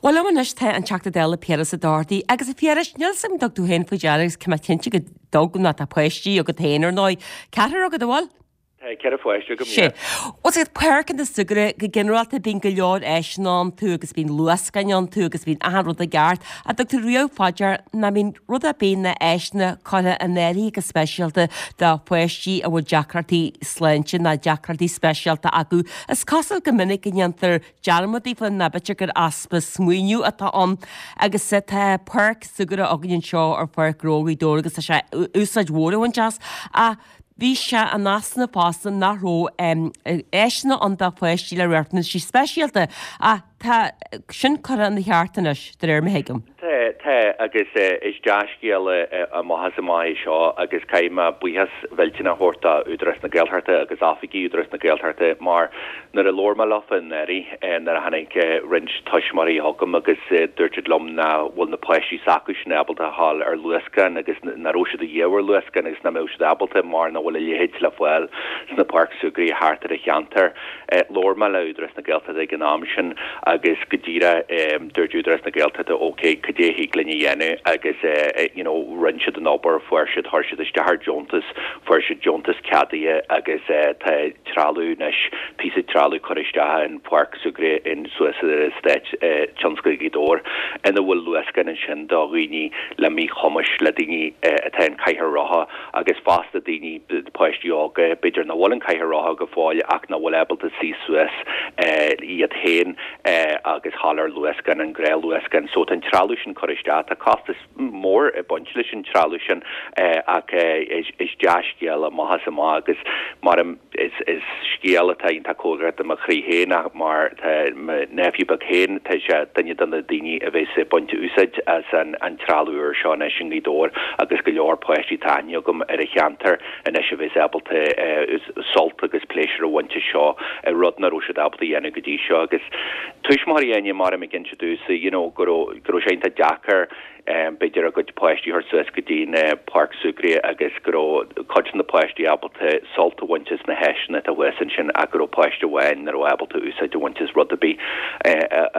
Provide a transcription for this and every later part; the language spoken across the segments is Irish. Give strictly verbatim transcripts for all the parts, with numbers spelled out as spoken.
Well liom anois tá an Teachta Dála Piaras Ó Dochartaigh agus a Phiarais níl 'fhios a'm dtug tú féin faoi deara agus tá mé cinnte go dtug ná tá páistí agat féin ar ndóigh. Ceathrar agat an bhfuil? Tá ceithre pháiste agam Sé. Bhuel páirceanna súgartha go ginearálta bíonn go leor áiseanna iontu agus bíonn luascáin iontu agus bíonn achan rud i gceart. An dtug tú riamh fá dear nach mbíonn rud ar bith na áiseanna curtha in áirithe go speisialta do pháistí a bhfuil deacrachtaí sláinte ná deacrachtaí speisialta acu. Is cosúil go minic go ndéantar dearmad daofa ná b'fhéidir gur easpa smaoineamh atá ann agus tá páirc súgartha againn anseo ar Pháirc Ghnó Ghaoth Dobhair agus tá sé úsáid mhór a bhaint as ach bhí sé in easnamh fosta nach raibh áiseanna ann do pháistí le riachtanaisí speisialta ach tá sin curtha ina cheart anois de réir mar a thuigim. Tá tá agus is dea-scéal amach is amach é seo agus caithfidh mé buíochas mhillteanach a thabhairt do Údarás na Gaeltachta agus oifigigh Údarás na Gaeltachta mar nuair a labhair mé leofa anuraidh nuair a tháinig roinnt tuismitheoirí chugam agus dúirt siad liom nach bhfuil na páistí s'acu sin ábalta a ghabháil ar luascán agus nach raibh siad a dhíobh ar luascán agus nach mbeadh siad ábalta mar nach bhfuil a leithéid le fáil sna páirc súgartha thart ar an cheantar. Labhair mé le Údarás na Gaeltachta ag an am sin agus go díreach dúirt Údarás na Gaeltachta ok cad é thig linn a dhéanamh agus you know rinne siad an obair fuair siad chuir siad isteach ar deontas fuair siad deontas ceadaithe agus tá trealamh anois píosa trealamh curtha isteach in páirc súgartha in suas ar eastát tionscal Ghaoth Dobhair ina bhfuil luascán ansin do dhaoine le míchumais le daoine atá in cathaoir rotha agus fosta daoine páistí óga b'fhéidir nach bhfuil an cathaoir rotha go fóill ach nach bhfuil ábalta suí suas iad féin agus ghabháil ar luascán an gnáthluascán so tá an trealamh sin curtha isteach tá costas mór ag baint leis an trealamh sin ach is dea-scéal amach is amach agus mar is is scéal atá iontach cóngarach do mo chroí féin ach mar tá mo nephew beag féin tá sé duine de na daoine a bheas ag baint úsáid as an an trealamh úr seo anois i nGaoth Dobhair agus go leor páistí atá aithne agam ar an cheantar anois a bheas ábalta sult agus pléisiúr a bhaint as seo rud nach raibh siad ábalta a dhéanamh go dtí seo agus tuismitheoirí aine mar ag inse domhsa you know go raibh go raibh sé iontach deacair b'fhéidir a gcuid páistí a thabhairt suas go dtí na páirc súgartha agus go raibh cuid de na páistí ábalta sult a bhaint as na háiseanna atá thuas ansin ach go raibh páiste amháin nach raibh ábalta úsáid a bhaint as rud ar bith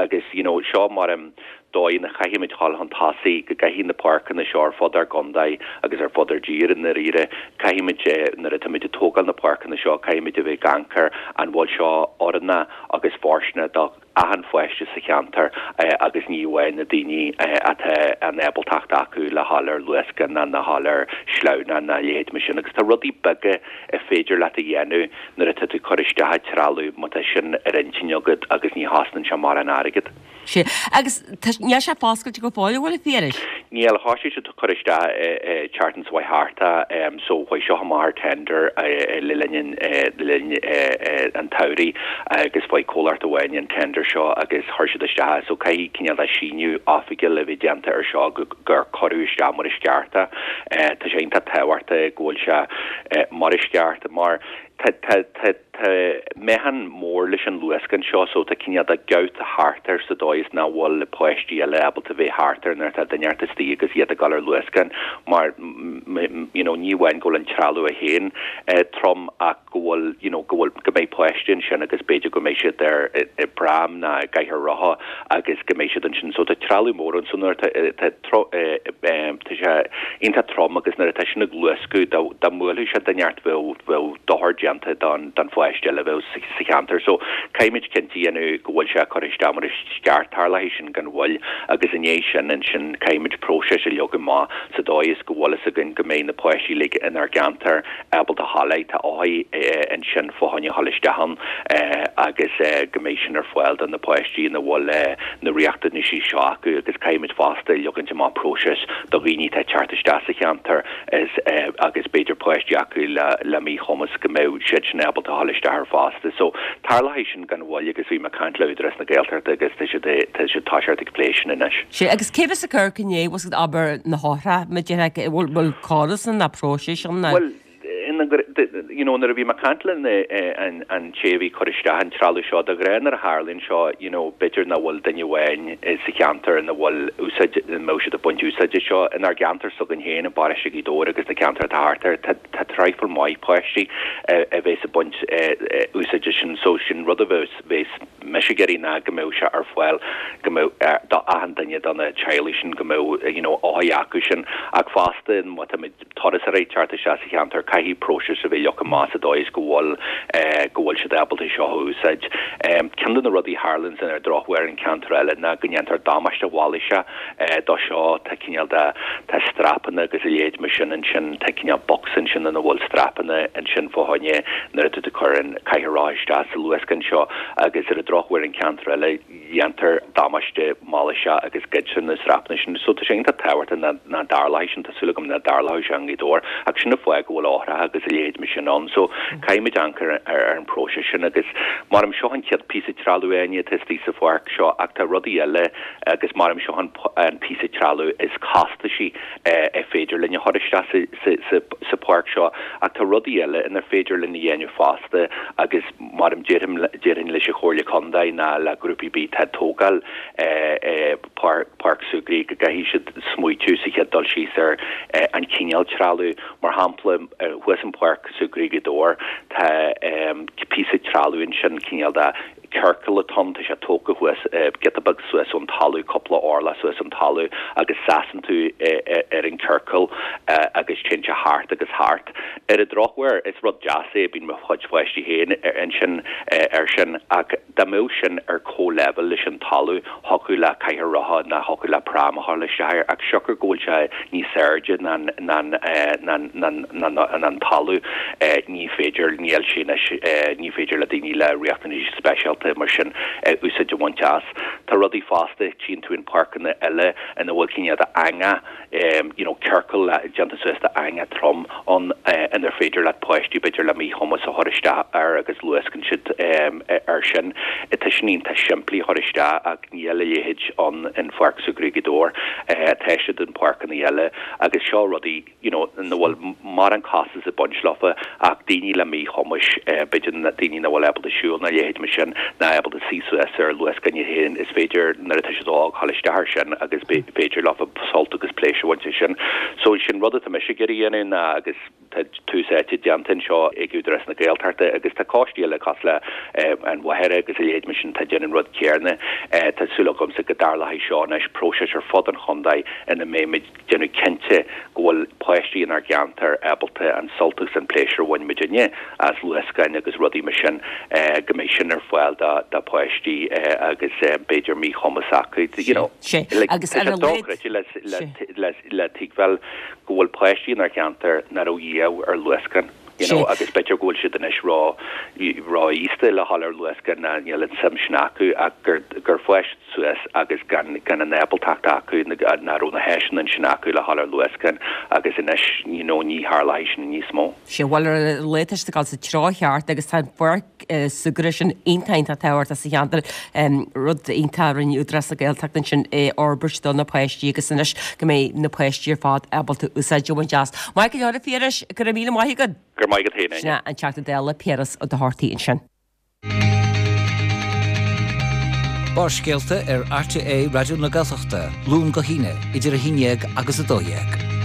agus you know seo mar an dóigh ina chaithfimid dul chun tosaigh go gcaithfidh na páirceanna seo ar fud ár gcontae agus ar fud ár dtír i ndáiríre caithfimid nuair atáimid ag tógáil na páirceanna seo caithfimid a bheith ag amharc ar an bhfuil seo oiriúnach agus fóirsteanach do achan pháiste sa cheantar agus ní amháin na daoine atá an ábaltacht acu le ghabháil ar luascán ná le ghabháil ar sleamhnán ná a leithéid mar sin agus tá rudaí beaga a féidir leat a dhéanamh nuair atá tú ag cur isteach an trealamh má tá sin ar intinn agat agus ní chosnaíonn sé mórán airgead. Sé agus níl sé foscailte go fóill bhfuil a Phiarais? Níl thosaigh siad cur isteach tseachtain seo thart so chuaigh seo amach ar tender le linn le linn an tsamhraidh agus fuair comhlacht amháin an tender seo agus chuir siad isteach so caithfidh cineál de síniú oifigiúil a bheith déanta ar seo gur cuireadh isteach mar is ceart é. Tá sé iontach tábhachtach go bhfuil sé mar is ceart mar tá tá tá tá meáchan mór leis an luascán seo so tá cineál de gabhta thart air sa dóigh is nach bhfuil páistí eile ábalta bheith thart air nuair atá duine inteacht istigh agus iad ag dul ar luascán mar you know ní amháin go bhfuil an trealamh é féin trom ach go bhfuil you know go bhfuil go mbeidh páistí ansin agus b'fhéidir go mbeidh siad ar i bpram ná i gcathaoir rotha agus go mbeidh siad ansin so tá trealamh mór ann so nuair tá tá tá sé iontach trom agus nuair atá sin ag luascadh dá dá mbuailfeadh sé duine inteacht bheadh bheadh dochar déanta don don pháiste eile a bheadh sa cheantar so caithfimid cinnte a dhéanamh go bhfuil sé curtha isteach mar is ceart tarlóidh sin gan mhoill agus i ndiaidh sin ansin caithfimid próiseas a leagan amach sa dóigh is go bhfuil fhios againn go mbeidh na páistí uilig inár gceantar ábalta ghabháil air tá faiche ansin fá choinne ghabháil isteach ann agus go mbeidh sin ar fáil do na páistí ina bhfuil na riachtanaisí seo acu agus caithfimid fosta leagaint amach próiseas do dhaoine atá ag teacht isteach sa cheantar is agus b'fhéidir páistí acu le le míchumas go mbeidh siad sin ábalta ghabháil isteach ar fosta. So tarlóidh sin gan mhoill agus bhí mé ag caint le Údarás na Gaeltachta agus tá siad tá siad toiseacht ag plé sin anois. Sé agus cé bheas ag cur inné was abair na heochrach ma déarfá bhfuil bhfuil córas ann ná próiseas ann ná Well you know nuair a bhí mé ag caint le an an té a bhí cur isteach an trealamh seo de ghnáth nuair a tharlaíonn seo you know b'fhéidir nach bhfuil duine amháin sa cheantar ina bhfuil úsáid ina mbeadh siad ag baint úsáide seo inár gceantar s'againn féin i bparóiste Ghaoth Dobhair agus na ceantair atá thart air tá tá traidhfil maith páistí a bheas ag baint úsáide sin so sin rud a bheas bheas mise ag iarraidh ná go mbeadh sé ar fáil go mbeadh do achan duine de na teaghlaigh sin go mbeadh you know áthas acu sin ach fosta má tá turasóirí ag teacht isteach sa cheantar caithfidh próiseas a bheith leagtha amach sa dóigh is go bhfuil go bhfuil siad ábalta seo a úsáid. Ceann de na rudaí a tharlaíonn ar an drochuair in ceantar eile ná go ndéantar damáiste mhailíseach dó seo tá cineál de tá strapanna agus a leithéid mar sin ansin tá cineál box ansin ina bhfuil strapanna ansin fá choinne nuair atá tú ag cur an cathaoir rotha isteach sa luascán seo agus ar an drochuair in ceantar eile dhéantar damáiste mailíseach agus goidtear na strapanna sin. So tá sé iontach tábhachtach nach dtarlóidh sin tá súil agam nach dtarlóidh sé i nGaoth Dobhair ach sin an fáth go bhfuil eochracha agus a leithéid mar sin ann. So caithfimid amharc ar ar an bpróiseas sin agus mar seo an chéad píosa trealaimh Áine atá istigh sa pháirc seo ach tá rudaí eile agus mar seo an an píosa trealaimh is costasaí ar féidir linn a chur isteach sa sa sa sa pháirc seo ach tá rudaí eile inar féidir linn a dhéanamh fosta agus mar déarfainn déarfainn leis an Chomhairle Contae ná le grúpaí ar bith atá ag tógáil páirc súgraí go gcaithfidh siad smaoitiú sa chéad dul síos ar an cineál trealaimh mar shampla thuas in páirc súgraí Ghaoth Dobhair tá píosa trealaimh ansin cineál de ciorcal atá ann tá sé tógtha thuas giota beag suas ón talamh cúpla orlach suas ón talamh agus seasann tú ar an ciorcal agus téann sé thart agus thart. Ar an drochuair is rud deas é bíonn mo chuid pháistí féin ansin ar sin ach dá mbeadh sin ar comhleibhéal leis an talamh thiocfadh le cathaoir rotha ná thiocfadh le pram a chur isteach air ach siocair go bhfuil sé níos airde ná an talamh ní féidir níl sé ní féidir le daoine le riachtanais speisialta mar sin úsáid a bhaint as. Tá rudaí fosta tchíonn tú in páirceanna eile ina bhfuil cineál de eangach you know ciorcal déanta suas de eangach trom ann inar féidir leat páistí b'fhéidir le míchumas a chur isteach air agus luascann siad air sin. Tá sin iontach simplí a chur isteach ach níl a leithéid ann in Pháirc Súgartha Ghaoth Dobhair. Tá siad in páirceanna eile agus seo rudaí you know nach bhfuil mórán costas ag baint leofa ach daoine le míchumais b'fhéidir daoine nach bhfuil ábalta siúl nó a leithéid mar sin ná ábalta suí suas ar luascán iad féin is féidir nuair atá siad óg dul isteach air sin agus b'fhéidir leofa sult agus pléisiúr a bhaint as sin. So sin rud atá mise ag iarraidh a dhéanamh ná agus tá tús áite déanta anseo ag Údarás na Gaeltachta agus tá coistí eile cosúil le an Mhachaire agus a leithéid mar sin atá ag déanamh an rud céanna. Tá súil agamsa go dtarlóidh seo anois próiseas ar fud an chontae ina mbeimid ag déanamh cinnte go bhfuil páistí inár gceantar ábalta an sult agus an pléisiúr a bhain muidinne as luascáin agus rudaí mar sin go mbeidh sin ar fáil do do pháistí agus b'fhéidir míchumas acu you know. Sé agus ar a laghad le le le tuigbheáil go bhfuil páistí inár gceantar nach raibh riamh ar luascán you know agus b'fhéidir go bhfuil siad anois ró róaosta le dhul ar luascán ná níl an suim sin acu ach gur gur fás suas agus gan gan an ábaltacht acu nach raibh na háiseanna ansin acu le dhul ar luascán agus anois you know ní tharlóidh sin níos mó. Sé bhuel ar a laghad tá siad ag dul sa treo cheart agus tá an pháirc súgartha sin iontach iontach tábhachtach sa cheantar rud iontach a rinne Údarás na Gaeltachta ansin é a fhorbairt do na páistí agus anois go mbeidh na páistí ar fad ábalta úsáid a bhaint as. Maith go leor a Phiarais, go raibh míle maith agat. Go raibh maith agat féin, Áine. Sin é an Teachta Dála Piaras Ó Dochartaigh ansin. Barrscéalta ar RTÉ Raidió na Gaeltachta, Luan go hAoine, idir a haon dhéag agus a dó dhéag.